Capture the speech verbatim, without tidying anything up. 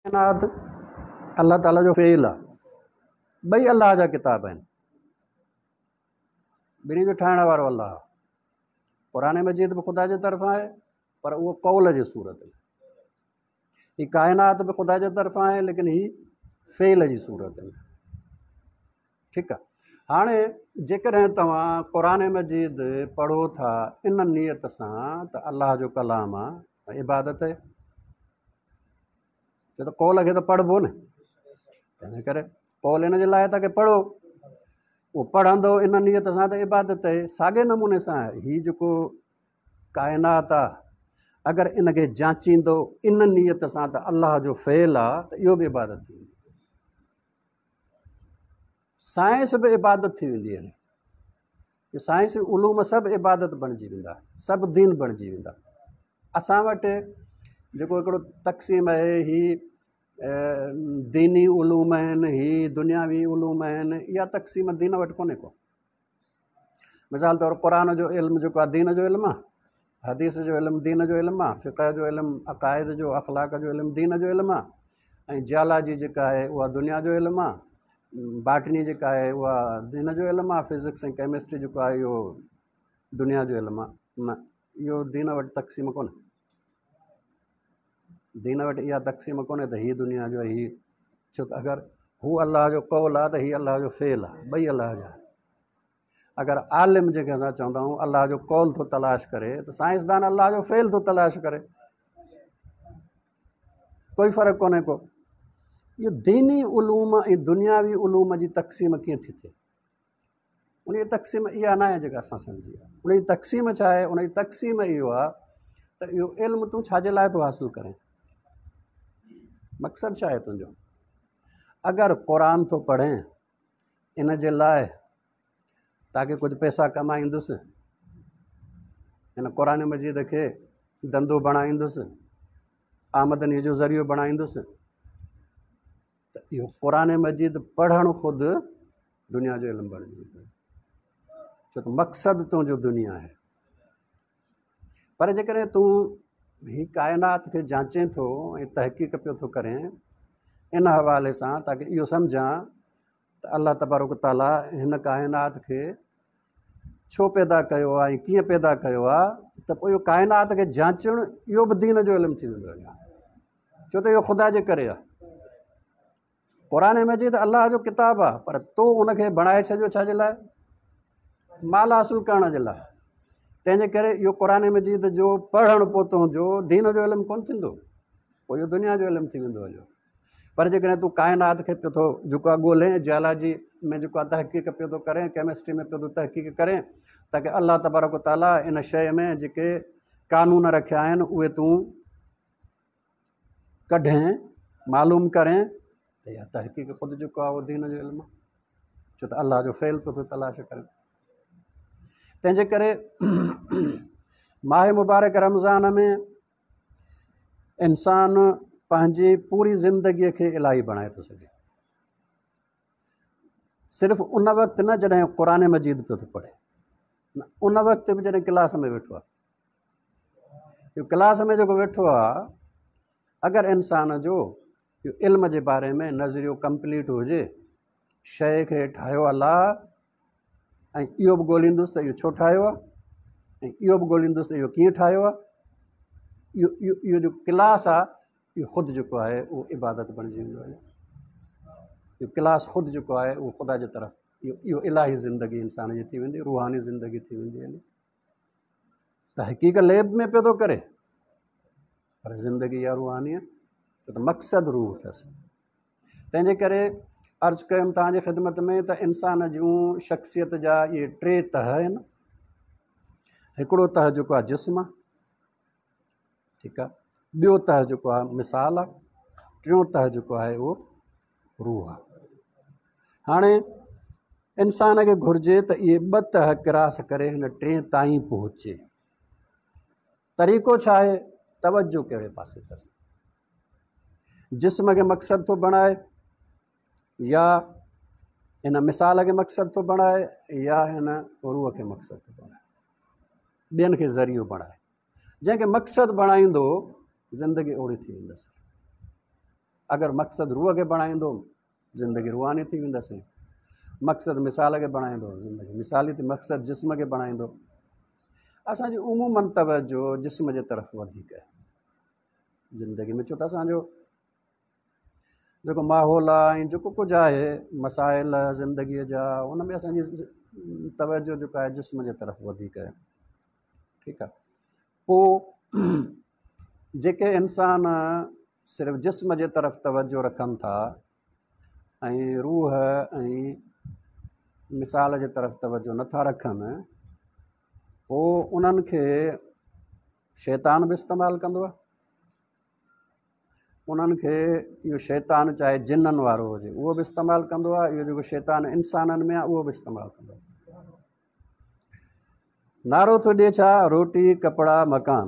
ڪائنات الله تعاليٰ جو فعل آهي، ٻئي الله جا ڪتاب آهن، ٻنهي جو ٺاهڻ وارو الله آهي. قرآن مجيد به خدا جي طرفان آهي پر اهو قول جي صورت ۾، هي ڪائنات به خدا جي طرفان آهي ليڪن هي فعل جي صورت ۾. ٺيڪ آهي، هاڻي جيڪڏهن توهان قرآن مجيد پڙهو ٿا ان نيت سان ته الله جو ڪلام آهي، عبادت آهي، ڇو ته قول کي ته پڙهبو نه، تنهن ڪري قول ان جي لاءِ ته پڙهو، اهو پڙهندو ان نيت سان ته عبادت آهي. ساڳئي نموني سان هي جيڪو ڪائنات آهي اگر ان کي جانچيندو ان نيت سان ته الله جو فعل آهي ته اهو به عبادت ٿي ويندي. سائنس به عبادت ٿي ويندي آهي، سائنسي علوم سڀ عبادت بڻجي ويندا، سڀ دين بڻجي ويندا. اسان وٽ جيڪو هڪڙو تقسيم آهي، هي ديني علوم آهن، هي دنياوي علوم آهن، اها تقسيم دين وٽ ڪونهي ڪو. مثال طور قرآن جو علم جيڪو آهي دين جو علم آهي، حديث جو علم دين جو علم آهي، فقه جو علم، عقائد جو، اخلاق جو علم دين جو علم آهي، ۽ جيالاجي جيڪا آهي اها دنيا جو علم آهي، باٽني جيڪا آهي اها دين جو علم آهي، فزڪس ۽ ڪيمسٽري جيڪو آهي اهو دنيا جو علم آهي. نه، اهو دين وٽ تقسيم ڪونهي. دين وٽ اها تقسيم ڪونهي ته هي دنيا جو آهي، هي، ڇو ته اگر هو الله جو قول آهي ته هي الله جو فعل آهي، ٻئي الله جا آهن. اگر عالم جيڪي اسان چوندا آهيون الله جو قول ٿو تلاش ڪري ته سائنسدان الله جو فعل ٿو تلاش ڪري، ڪوئي فرق ڪونهي ڪو. اهو ديني علوم ۽ دنياوي علوم جي تقسيم ڪيئن ٿي ٿئي؟ ان جي تقسيم اها نه آهي جيڪا اسان سمجهي آهي. ان جي تقسيم ڇا آهي؟ ان جي تقسيم اهو آهي ته اهو علم تون ڇا جي لاءِ ٿو حاصل ڪرين، مقصد ڇا آهي تنهنجو؟ اگر قرآن ٿو پڙهين ان جي لاءِ تاڪه ڪجهه پئسا ڪمائيندس، هن قرآن مجيد کي ڌنڌو بڻائيندس، آمدنيءَ جو ذريعو بڻائيندس، ته اهو قرآن مجيد پڙهڻ خود دنيا جو علم بڻجي ويندو، ڇو ته مقصد تنهنجو دنيا آهي. پر جيڪڏهن تون هي ڪائنات کي جانچين ٿو ۽ تحقيق پيو ٿو ڪرين ان حوالي سان تاڪه اهو سمجهان ته الله تبارڪ تعاليٰ هن ڪائنات کي ڇو پيدا ڪيو آهي ۽ ڪيئن پيدا ڪيو آهي، ته پوءِ اهو ڪائنات کي جانچڻ اهو به دين جو علم ٿي ويندو آهي، ڇو ته اهو خدا جي ڪري آهي. قرآن مجيد الله جو ڪتاب آهي، پر تو ان کي بڻائي ڇڏيو ڇا جي لاءِ؟ مال حاصل ڪرڻ جي لاءِ. تنهن جي ڪري اهو قرآن مجيد جو پڙهڻ پوءِ تنهنجو دين جو علم ڪونه ٿيندو، پوءِ اهو دنيا جو علم ٿي ويندو هليو. پر جيڪڏهن تون ڪائنات کي پيو ٿو جيڪو آهي ڳولهين، جيالاجي ۾ جيڪو آهي تحقيق پيو ٿو ڪرين، ڪيمسٽري ۾ پيو ٿو تحقيق ڪرين، تاڪه الله تبارڪ تعاليٰ ان شيءِ ۾ جيڪي قانون رکيا آهن اهي تون ڪڍين، معلوم ڪرين، ته اها تحقيق خود جيڪو آهي اهو دين جو علم آهي، ڇو ته الله جو فعل پيو ٿو تلاش ڪري. تنهن جي ڪري ماهه مبارڪ رمضان ۾ انسان پنهنجي پوري زندگيءَ کي الاهي بڻائي ٿو سگهي، صرف ان وقت نه جڏهن قرآن مجيد پيو ٿو پڙهي، نه ان وقت به جڏهن ڪلاس ۾ ويٺو آهي. اهو ڪلاس ۾ جيڪو ويٺو آهي، اگر انسان جو اهو علم جي باري ۾ نظريو ڪمپليٽ هجي، شيءِ کي ٺاهيو الله، ۽ اهو به ڳولهيندس ته اهو ڇو ٺاهيو آهي، ۽ اهو به ڳولهيندس ته اهو ڪيئن ٺاهيو آهي، اهو اهو اهو جو ڪلاس آهي اهو خود جيڪو آهي اهو عبادت بڻجي ويندو آهي. اهو ڪلاس خود جيڪو آهي اهو خدا جي طرف، اهو اهو الاهي زندگي انسان جي ٿي ويندي، روحاني زندگي ٿي ويندي. يعني تحقيق ليب ۾ پيو ٿو ڪري، پر زندگي اها روحاني آهي، ڇو ته مقصد روح اٿس. تنهن جي ڪري عرض ڪيم توهان جي خدمت ۾ ته انسان جون شخصيت جا اهي ٽي تهه آهن. هڪڙو تهه جيڪو آهي جسم آهي، ٺيڪ آهي، ٻيو تهه جيڪو آهي مثال آهي، ٽيون تهه جيڪو آهي اهو روح آهي. هاڻي انسان کي گهرجي ته اهي ٻه تهه ڪراس ڪري هن ٽئين تائين پهچي. طريقو ڇا آهي؟ توجو ڪهڙي پاسي اٿس؟ جسم کي مقصد ٿو بڻائي يا هن مثال کي مقصد ٿو بڻائي يا هن روح کي مقصد ٿو بڻائي، ٻين کي ذريعو بڻائي. جنهن کي مقصد بڻائيندو زندگي اوڙي ٿي ويندس. اگر مقصد روح کي بڻائيندو، زندگي روحاني ٿي ويندس. مقصد مثال کي بڻائيندو، زندگي مثالي ٿي. مقصد جسم کي بڻائيندو. اسان جي عمومن توجو جسم جي طرف وڌيڪ آهي زندگي ۾، ڇو ته اسان جو جيڪو ماحول آهي ۽ جيڪو ڪجهه آهي، مسائل زندگيءَ جا، ان ۾ اسان جي توجو جيڪو آهي جسم جي طرف وڌيڪ آهي. ٺيڪ آهي. پوءِ جيڪي انسان صرف جسم جي طرف توجو رکن ٿا ۽ روح ۽ مثال جي طرف توجو نٿا رکن، پوءِ انهن کي شيطان به استعمال ڪندو آهي. انهن کي اهو شيطان چاهي جنن وارو هجي، اهو به استعمال ڪندو آهي. اهو جيڪو شيطان انسانن ۾ آهي، اهو به استعمال ڪندو آهي. نعرو ٿو ڏئي ڇا؟ روٽي، ڪپڙا، مڪان.